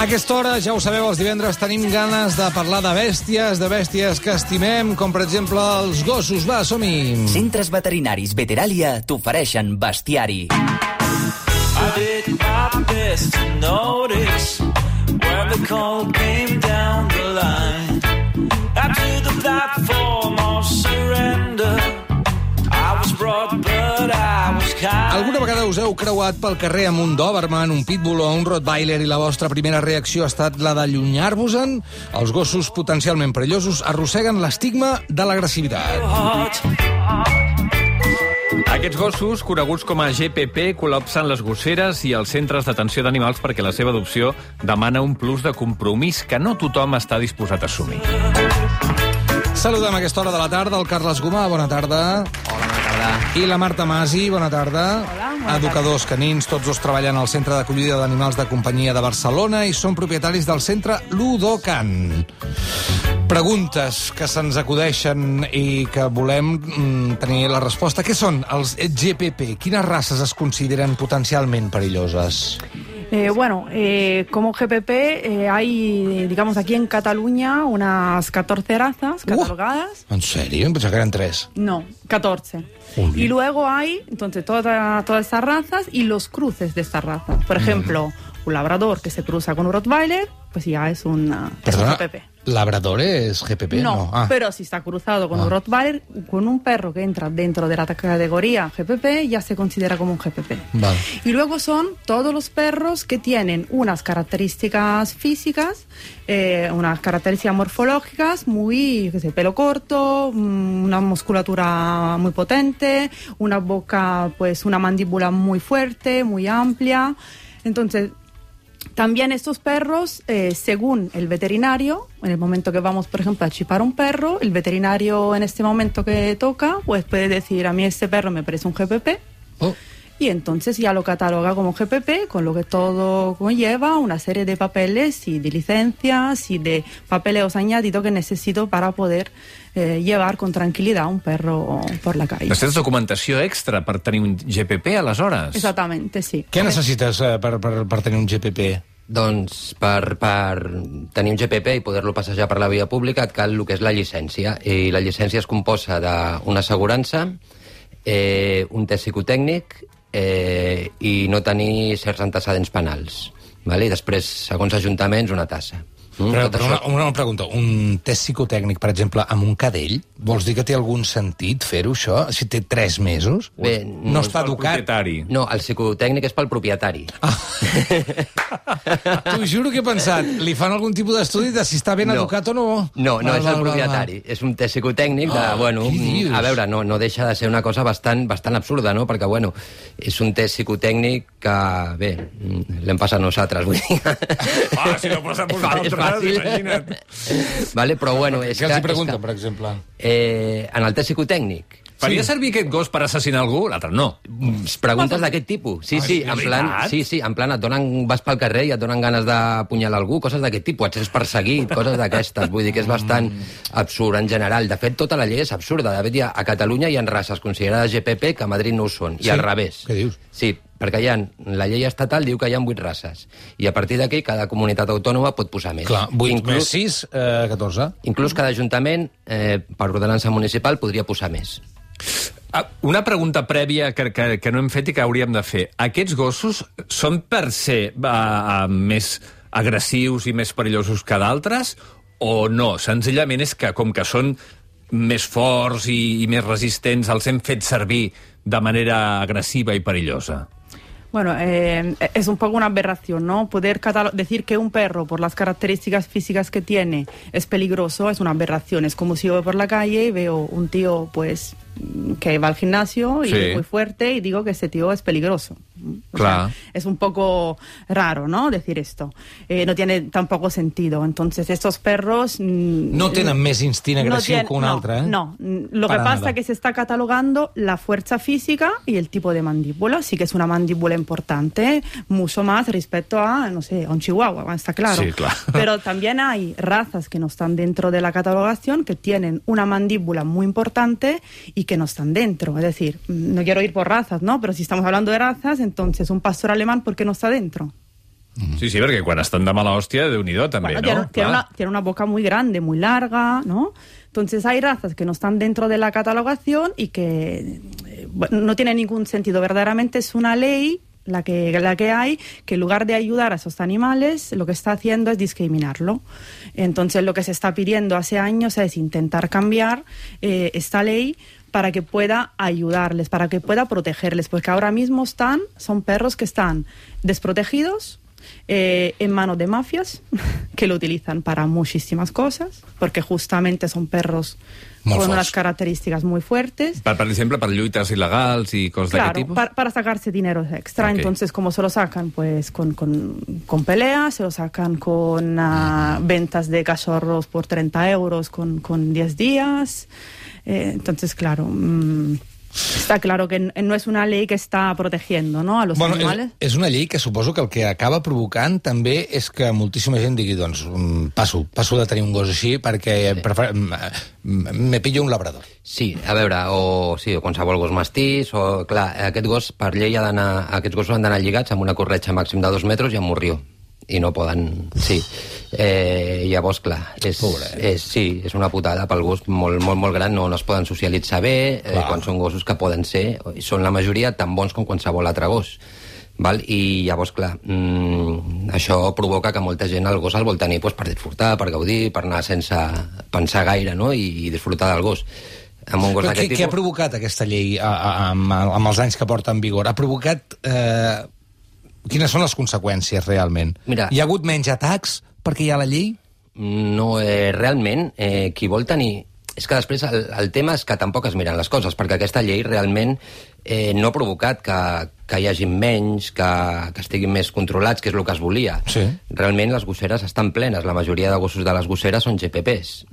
A aquesta hora, ja ho sabeu, els divendres tenim ganes de parlar de bèsties que estimem, com per exemple els gossos. Va, som-hi! Centres veterinaris Veteràlia t'ofereixen bestiari. I did my best to notice when the call came down the line. Up to the platform of surrender. I was brought, but I was kind. Alguna vegada us heu creuat pel carrer amb un Doberman, un Pitbull o un Rottweiler i la vostra primera reacció ha estat la d'allunyar-vos-en? Els gossos potencialment perillosos arrosseguen l'estigma de l'agressivitat. Aquests gossos, coneguts com a GPP, col·lapsen les gosseres i els centres d'atenció d'animals perquè la seva adopció demana un plus de compromís que no tothom està disposat a assumir. Saludem a aquesta hora de la tarda el Carles Gomà, bona tarda. Hola, bona tarda. I la Marta Masi, bona tarda. Hola, bona Educadors canins, tots dos treballen al Centre d'Acollida d'Animals de Companyia de Barcelona i són propietaris del centre Ludocan. Preguntes que se'ns acudeixen i que volem tenir la resposta. Què són els GPP? Quines races es consideren potencialment perilloses? Como GPP hay, digamos, aquí en Cataluña unas 14 razas catalogadas. ¿En serio? Pensaba que eran 3. No, 14. Uy. Y luego hay, entonces, todas estas razas y los cruces de estas razas. Por ejemplo, un labrador que se cruza con un Rottweiler, pues ya es un GPP. ¿Labrador es GPP? No, pero si está cruzado con un Rottweiler, con un perro que entra dentro de la categoría GPP, ya se considera como un GPP. Vale. Y luego son todos los perros que tienen unas características físicas, unas características morfológicas, muy, pelo corto, una musculatura muy potente, una boca, pues una mandíbula muy fuerte, muy amplia. Entonces, también estos perros, según el veterinario, en el momento que vamos, por ejemplo, a chipar un perro, el veterinario en este momento que toca, pues puede decir, a mí este perro me parece un GPP, y entonces ya lo cataloga como GPP, con lo que todo conlleva una serie de papeles y de licencias y de papeleos añadidos que necesito para poder llevar con tranquil·litat un perro por la calle. Necessites documentació extra per tenir un GPP, aleshores? Exactamente, sí. Què necessites per tenir un GPP? Doncs per tenir un GPP i poder-lo passejar per la via pública et cal el que és la llicència. I la llicència es composa d'una assegurança, un test psicotècnic i no tenir certs antecedents penals. Vale? I després, segons ajuntaments, una tassa. Però una pregunta, un test psicotècnic, per exemple, amb un cadell, vols dir que té algun sentit fer-ho, això? Si té 3 mesos? Bé, no està educat? No, el psicotècnic és pel propietari. T'ho juro que he pensat, li fan algun tipus d'estudi de si està ben educat o no? No, és el propietari. És un test psicotècnic de, a veure, no deixa de ser una cosa bastant absurda, no? Perquè, és un test psicotècnic que, bé, l'hem passat nosaltres, vull dir. Si no passa vosaltres, imagina't. Vale, però és què els hi pregunten, per exemple? En el test psicotècnic. Faria servir aquest gos per assassinar algú? L'altre no. Preguntes d'aquest tipus. Sí, en plan, vas pel carrer i et donen ganes d'apunyalar algú, coses d'aquest tipus, et sents perseguit, coses d'aquestes. Vull dir que és bastant absurd en general. De fet, tota la llei és absurda. De fet, a Catalunya hi ha races considerades GPP que a Madrid no ho són, i al revés. Què dius? Sí, perquè la llei estatal diu que hi ha 8 races, i a partir d'aquí cada comunitat autònoma pot posar més. Clar, 8 més 6, 14. Inclús cada ajuntament, per ordenança municipal, podria posar més. Una pregunta prèvia que no hem fet i que hauríem de fer. Aquests gossos són per ser més agressius i més perillosos que d'altres o no? Senzillament és que, com que són més forts i més resistents, els hem fet servir de manera agresiva i perillosa? Es un poco una aberración, ¿no? Poder decir que un perro, por las características físicas que tiene, es peligroso, es una aberración. Es como si yo voy por la calle y veo un tío, pues, que va al gimnasio y es muy fuerte y digo que ese tío es peligroso. O sea, es un poco raro, ¿no? Decir esto. No tiene tampoco sentido. Entonces, estos perros... no tenen més instint agresiu que un altre, ¿eh? No. Lo que pasa es que se está catalogando la fuerza física y el tipo de mandíbula. Sí que es una mandíbula importante, mucho más respecto a, no sé, a un chihuahua, está claro. Sí, claro. Pero también hay razas que no están dentro de la catalogación que tienen una mandíbula muy importante y que no están dentro. Es decir, no quiero ir por razas, ¿no? Pero si estamos hablando de razas, entonces un pastor alemán, ¿por qué no está dentro? Sí, perquè quan estan de mala hòstia, Déu-n'hi-do, també, bueno, ¿no? Tiene una boca muy grande, muy larga, ¿no? Entonces hay razas que no están dentro de la catalogación y que no tiene ningún sentido. Verdaderamente es una ley la que hay, que en lugar de ayudar a esos animales, lo que está haciendo es discriminarlo. Entonces lo que se está pidiendo hace años es intentar cambiar esta ley para que pueda ayudarles, para que pueda protegerles, porque ahora mismo son perros que están desprotegidos, en manos de mafias que lo utilizan para muchísimas cosas, porque justamente son perros con unas características muy fuertes. Per exemple, per lluites il·legals i coses d'aquest tipus? Claro, para sacarse dinero extra. Okay. Entonces, como se lo sacan pues con peleas, se lo sacan con ventas de cachorros por 30 euros con 10 días. Entonces, claro... Està claro que no és una llei que està protegiendo, ¿no?, a los animales. És una llei que suposo que el que acaba provocant també és que moltíssima gent digui, doncs, passo de tenir un gos així perquè me pillo un labrador. Sí, a veure, o qualsevol gos mastís, o, clar, aquest gos, per llei, aquests gossos han d'anar lligats amb una corretja màxim de 2 metres i amb morrió. I no poden... Sí. Llavors, clar, és una putada pel gos molt, molt, molt gran, no es poden socialitzar bé, quan són gossos que poden ser, són la majoria tan bons com qualsevol altre gos. Val? I llavors, clar, això provoca que molta gent el gos el vol tenir per disfrutar, per gaudir, per anar sense pensar gaire, no?, i disfrutar del gos. Amb un gos d'aquest tipus... Què ha provocat aquesta llei amb els anys que porta en vigor? Ha provocat... Quines són les conseqüències, realment? Mira, hi ha hagut menys atacs perquè hi ha la llei? No, realment, qui vol tenir... És que després el tema és que tampoc es miren les coses, perquè aquesta llei realment no ha provocat que hi hagi menys, que estiguin més controlats, que és el que es volia. Sí. Realment les gosseres estan plenes, la majoria de gossos de les gosseres són GPPs.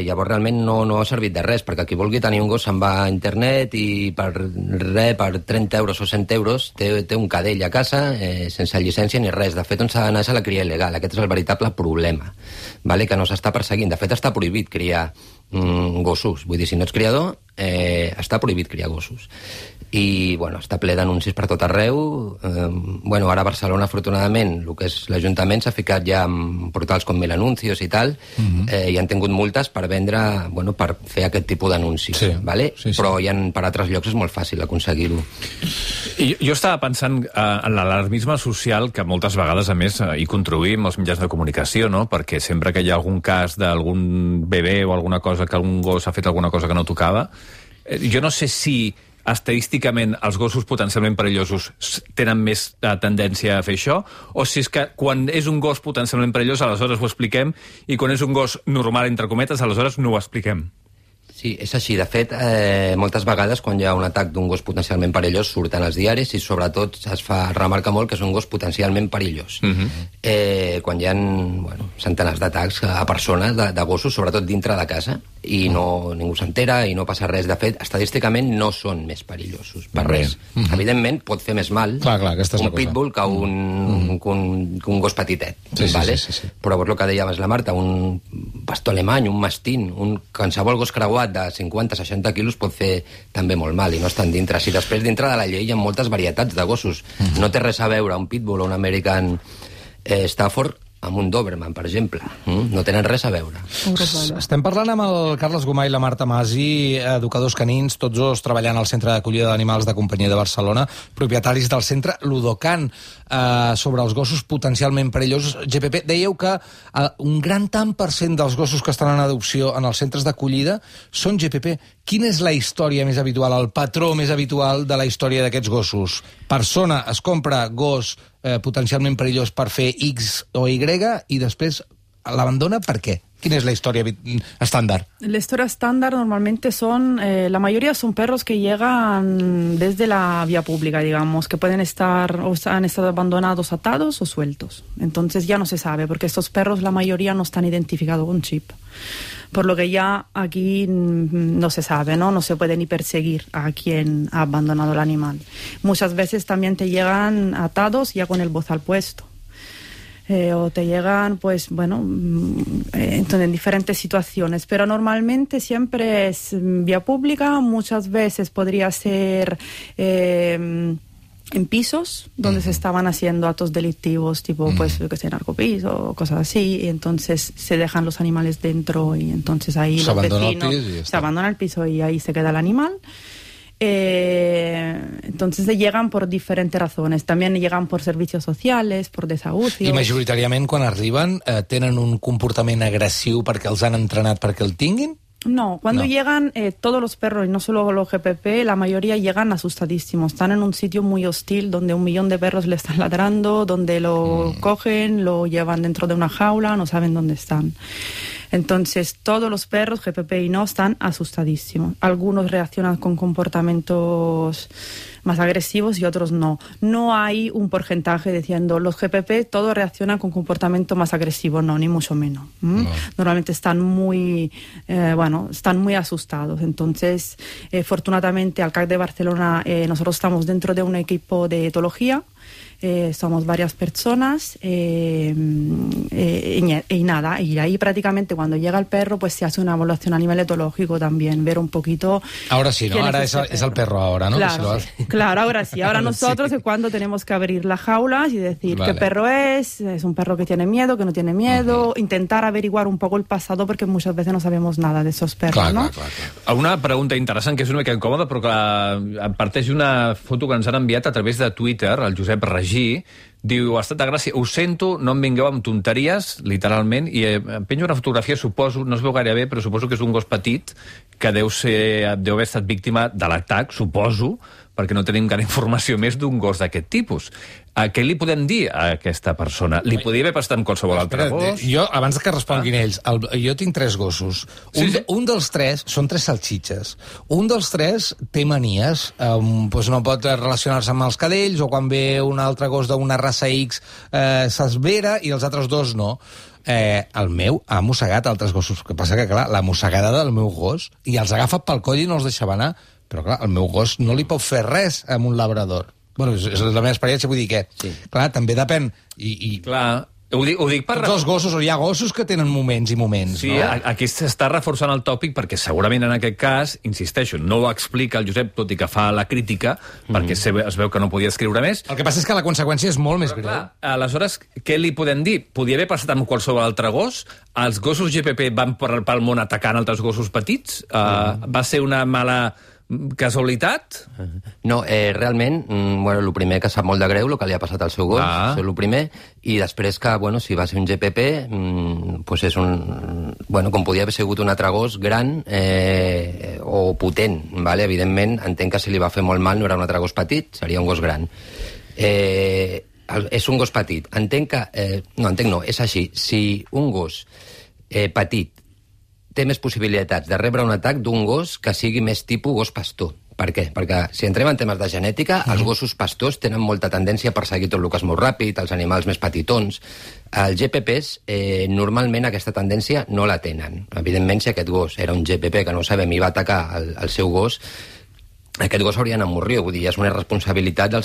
Llavors realment no ha servit de res, perquè qui vulgui tenir un gos se'n va a internet i per 30 euros o 100 euros té un cadell a casa sense llicència ni res. De fet, on s'ha d'anar és a la cria il·legal. Aquest és el veritable problema, vale? Que no s'està perseguint. De fet, està prohibit criar gossos. Vull dir, si no ets criador, està prohibit criar gossos. I, bueno, està ple d'anuncis per tot arreu. Ara a Barcelona, afortunadament, el que és l'Ajuntament s'ha ficat ja en portals com Mil Anuncios i tal, i han tingut multes per vendre, per fer aquest tipus d'anuncis. Sí, vale? sí. Però per altres llocs és molt fàcil aconseguir-ho. Jo estava pensant en l'alarmisme social que moltes vegades, a més, hi contribuïm els mitjans de comunicació, no? Perquè sempre que hi ha algun cas d'algun bebè o alguna cosa, que algun gos ha fet alguna cosa que no tocava, jo no sé si estadísticament els gossos potencialment perillosos tenen més tendència a fer això, o si és que quan és un gos potencialment perillós aleshores ho expliquem, i quan és un gos normal, entre cometes, aleshores no ho expliquem. Sí, és així. De fet, moltes vegades quan hi ha un atac d'un gos potencialment perillós surten als diaris i sobretot es remarca molt que és un gos potencialment perillós. Quan hi ha centenars d'atacs a persones de gossos, sobretot dintre de casa, i ningú s'entera i no passa res. De fet, estadísticament no són més perillosos, per res. Evidentment, pot fer més mal un pitbull que un gos petitet. Sí. Però el que dèiem és la Marta, un pastor alemany, un mastín, qualsevol gos creuat de 50-60 quilos pot fer també molt mal i no estan dintre. Si després dintre de la llei hi ha moltes varietats de gossos. No té res a veure un pitbull o un American Stafford amb un Doberman, per exemple. No tenen res a veure. Estem parlant amb el Carles Gomà i la Marta Masi, educadors canins, tots dos treballant al Centre d'Acollida d'Animals de Companyia de Barcelona, propietaris del centre Ludokan, sobre els gossos potencialment perillosos. GPP, dèieu que un gran tant per cent dels gossos que estan en adopció en els centres d'acollida són GPP. Quina és la història més habitual, el patró més habitual de la història d'aquests gossos? Persona es compra gos potencialment perillós per fer X o Y i després l'abandona per què? ¿Quién es la historia estándar? La historia estándar normalmente la mayoría son perros que llegan desde la vía pública, digamos, que pueden estar o han estado abandonados, atados o sueltos. Entonces ya no se sabe, porque estos perros la mayoría no están identificados con chip. Por lo que ya aquí no se sabe, ¿no? No se puede ni perseguir a quien ha abandonado el animal. Muchas veces también te llegan atados ya con el bozal puesto. O te llegan, en diferentes situaciones, pero normalmente siempre es vía pública, muchas veces podría ser en pisos donde se estaban haciendo actos delictivos, tipo, pues, yo que sé, narcopiso o cosas así, y entonces se dejan los animales dentro y entonces ahí los vecinos se abandona el piso y ahí se queda el animal. Entonces llegan por diferentes razones. También llegan por servicios sociales, por desahucios. I majoritàriament, quan arriben, tenen un comportament agressiu perquè els han entrenat perquè el tinguin? No, cuando llegan todos los perros, y no solo los GPP, la mayoría llegan asustadísimos. Están en un sitio muy hostil donde 1 millón de perros le están ladrando, donde lo cogen, lo llevan dentro de una jaula, no saben dónde están. Entonces, todos los perros, GPP y no, están asustadísimos. Algunos reaccionan con comportamientos más agresivos y otros no. No hay un porcentaje diciendo los GPP todos reaccionan con comportamiento más agresivo, no, ni mucho menos. No. Normalmente están muy, están muy asustados. Entonces, afortunadamente, al CAC de Barcelona nosotros estamos dentro de un equipo de etología. Somos varias personas y nada, y ahí prácticamente cuando llega el perro pues se hace una evaluación a nivel etológico también, ver un poquito... Ahora sí, ¿no? Ahora es el perro ahora, ¿no? Claro, claro, ahora sí. Ahora nosotros es cuando tenemos que abrir las jaulas y decir qué perro es un perro que tiene miedo, que no tiene miedo, intentar averiguar un poco el pasado porque muchas veces no sabemos nada de esos perros, ¿no? Clar. Una pregunta interessant, que és una mica incòmoda, però que parteix d'una foto que ens han enviat a través de Twitter, el Josep Regí, diu, ha estat de gràcia, ho sento, no em vingueu amb tonteries, literalment, i em penjo una fotografia, suposo, no es veu gaire bé, però suposo que és un gos petit que deu haver estat víctima de l'atac, suposo, perquè no tenim gaire informació més d'un gos d'aquest tipus. Què li podem dir a aquesta persona? Li podria haver passat amb qualsevol altre gos? Jo, abans que responguin ells, jo tinc 3 gossos. Un dels 3 són 3 salxitxes. Un dels 3 té manies, no pot relacionar-se amb els cadells, o quan ve un altre gos d'una raça X s'esvera, i els altres 2 no. El meu ha mossegat altres gossos. El que passa que, clar, la mossegada del meu gos, i els agafa pel coll i no els deixava anar. Però, clar, el meu gos no li pot fer res amb un labrador. Bueno, és la meva experiència, vull dir que, clar, també depèn. Clar, ho dic per... Tots els gossos, o hi ha gossos que tenen moments i moments, sí, no? Aquí s'està reforçant el tòpic perquè segurament en aquest cas, insisteixo, no ho explica el Josep, tot i que fa la crítica, perquè es veu que no podia escriure més. El que passa és que la conseqüència és molt més greu. Aleshores, què li podem dir? Podia haver passat amb qualsevol altre gos? Els gossos GPP van pel món atacant altres gossos petits? Va ser una mala... casualitat? No, realment, el primer que sap molt de greu el que li ha passat al seu gos, és el primer, i després que, si va ser un GPP, doncs és un... com podia haver sigut un altre gos gran o potent, evidentment, entenc que si li va fer molt mal no era un altre gos petit, seria un gos gran. És un gos petit. Entenc que... No, és així. Si un gos petit té més possibilitats de rebre un atac d'un gos que sigui més tipus gos pastor. Per què? Perquè si entrem en temes de genètica, els gossos pastors tenen molta tendència a perseguir tot el que és molt ràpid, els animals més petitons. Els GPPs, normalment aquesta tendència no la tenen. Evidentment, si aquest gos era un GPP que no sabem i va atacar el seu gos, aquest gos hauria d'anar a morir, vull dir, és una responsabilitat de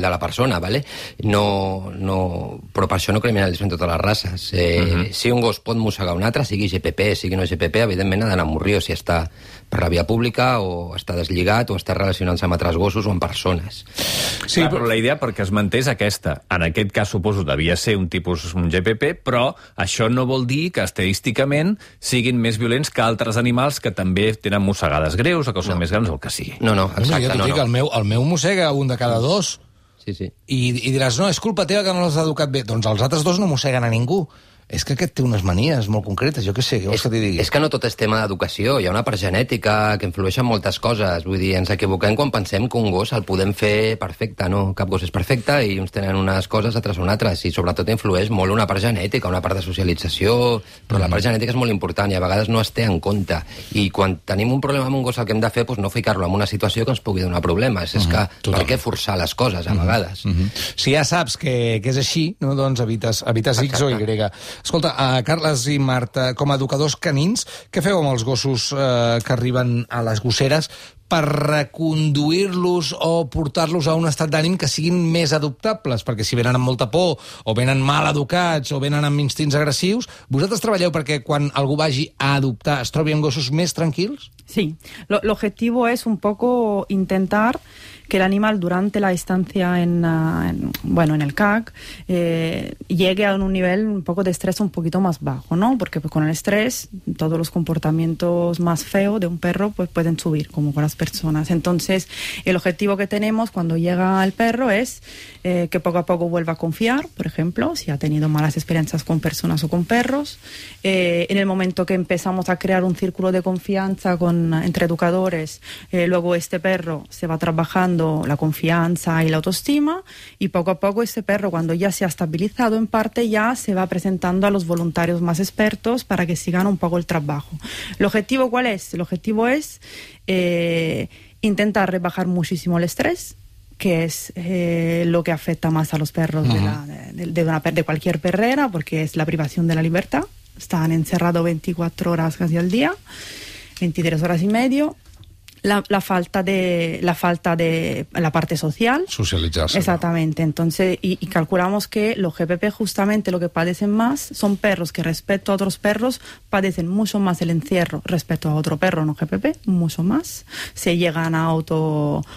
la persona, ¿vale? Però per això no criminalitzem totes les races. Si un gos pot mossegar un altre, sigui GPP, sigui no GPP, evidentment ha d'anar a morir, o si està per la via pública, o està deslligat, o està relacionant-se amb altres gossos o amb persones. Sí, però la idea, perquè es manté, és aquesta. En aquest cas, suposo, devia ser un tipus GPP, però això no vol dir que estadísticament siguin més violents que altres animals que també tenen mossegades greus o que són més grans o el que sigui. No, exacte, jo t'ho dic, el meu mossega un de cada 2. Sí. I diràs, no, és culpa teva que no l'has educat bé. Doncs els altres 2 no mosseguen a ningú. És que aquest té unes manies molt concretes, jo què sé, què vols que t'hi digui? És que no tot és tema d'educació, hi ha una part genètica que influeix en moltes coses, vull dir, ens equivoquem quan pensem que un gos el podem fer perfecte, no, cap gos és perfecte i uns tenen unes coses, altres són altres, i sobretot influeix molt una part genètica, una part de socialització, però la part genètica és molt important i a vegades no es té en compte, i quan tenim un problema amb un gos el que hem de fer, doncs no ficar-lo en una situació que ens pugui donar problemes, és que per què forçar les coses a vegades? Si ja saps que és així, no, doncs evites X o Y. Escolta, Carles i Marta, com a educadors canins, què feu amb els gossos que arriben a les gosseres per reconduir-los o portar-los a un estat d'ànim que siguin més adoptables? Perquè si venen amb molta por, o venen mal educats, o venen amb instints agressius, vosaltres treballeu perquè quan algú vagi a adoptar es trobi amb gossos més tranquils? Sí, el objetivo es un poco intentar que el animal durante la estancia en el CAC llegue a un nivel un poco de estrés un poquito más bajo, ¿no? Porque pues, con el estrés todos los comportamientos más feos de un perro pues pueden subir, como con las personas. Entonces, el objetivo que tenemos cuando llega el perro es que poco a poco vuelva a confiar, por ejemplo, si ha tenido malas experiencias con personas o con perros. En el momento que empezamos a crear un círculo de confianza entre educadores, luego este perro se va trabajando la confianza y la autoestima, y poco a poco este perro, cuando ya se ha estabilizado en parte, ya se va presentando a los voluntarios más expertos para que sigan un poco el trabajo. ¿El objetivo cuál es? El objetivo es intentar rebajar muchísimo el estrés, que es lo que afecta más a los perros de cualquier perrera, porque es la privación de la libertad. Están encerrados 24 horas casi al día, 23 horas y medio. La falta de la parte social. Socialitzar-se. Exactamente. Entonces, y calculamos que los GPP justamente lo que padecen más son perros que respecto a otros perros padecen mucho más el encierro respecto a otro perro no GPP, mucho más. Se llegan a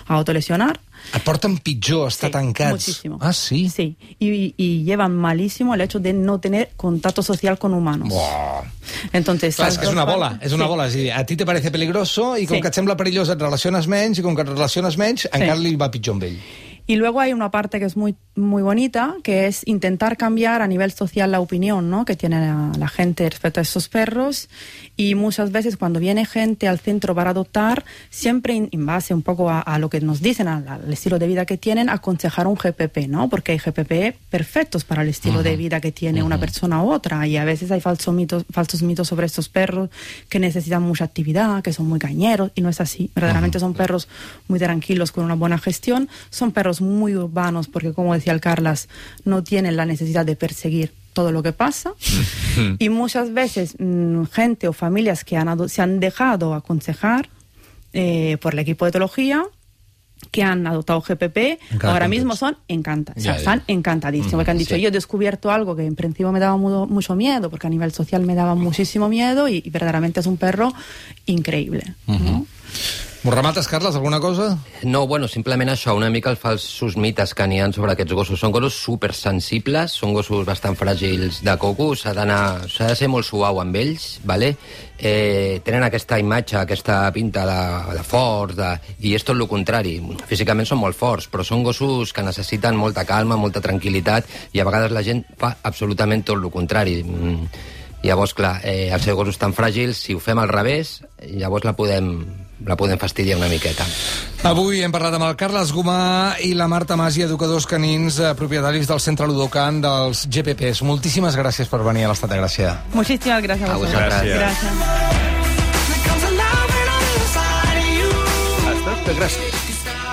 autolesionar. Et porten pitjor estar tancats. Muchísimo. Ah, sí? Sí, y llevan malísimo el hecho de no tener contacto social con humanos. Buah. Entonces, clar, és una bola, és una bola. És a dir, a ti te parece peligroso i com que et sembla perillós et relaciones menys, i com que et relaciones menys, encara li va pitjor amb ell. Y luego hay una parte que es muy, muy bonita, que es intentar cambiar a nivel social la opinión, ¿no?, que tiene la gente respecto a estos perros. Y muchas veces cuando viene gente al centro para adoptar, siempre en base un poco a lo que nos dicen, al estilo de vida que tienen, aconsejar un GPP, ¿no? Porque hay GPP perfectos para el estilo de vida que tiene una persona u otra. Y a veces hay falsos mitos sobre estos perros que necesitan mucha actividad, que son muy cañeros, y no es así. Verdaderamente son perros muy tranquilos, con una buena gestión. Son perros muy urbanos porque, como decía el Carlas, no tienen la necesidad de perseguir todo lo que pasa. Y muchas veces gente o familias que se han dejado aconsejar por el equipo de etología, que han adoptado GPP, ahora mismo son encantados. Están encantadísimos, porque han dicho, yo he descubierto algo que en principio me daba mucho miedo, porque a nivel social me daba muchísimo miedo, y verdaderamente es un perro increïble. ¿No? M'ho remates, Carles, alguna cosa? No, bueno, simplement això, una mica els falsos mites que n'hi ha sobre aquests gossos. Són gossos supersensibles, són gossos bastant fràgils de coco, s'ha de ser molt suau amb ells, ¿vale? Tenen aquesta imatge, aquesta pinta de forts, i és tot el contrari. Físicament són molt forts, però són gossos que necessiten molta calma, molta tranquil·litat, i a vegades la gent fa absolutament tot el contrari. Llavors, clar, els seus gossos tan fràgils, si ho fem al revés, llavors la podem fastidiar una miqueta. Avui hem parlat amb el Carles Gomà i la Marta Mas, educadors canins, propietaris del Centre Ludokan dels GPPs. Moltíssimes gràcies per venir a l'Estat de Gràcia. Muchísimas gracias a vosotros. Gràcies.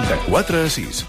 De 4 a 6.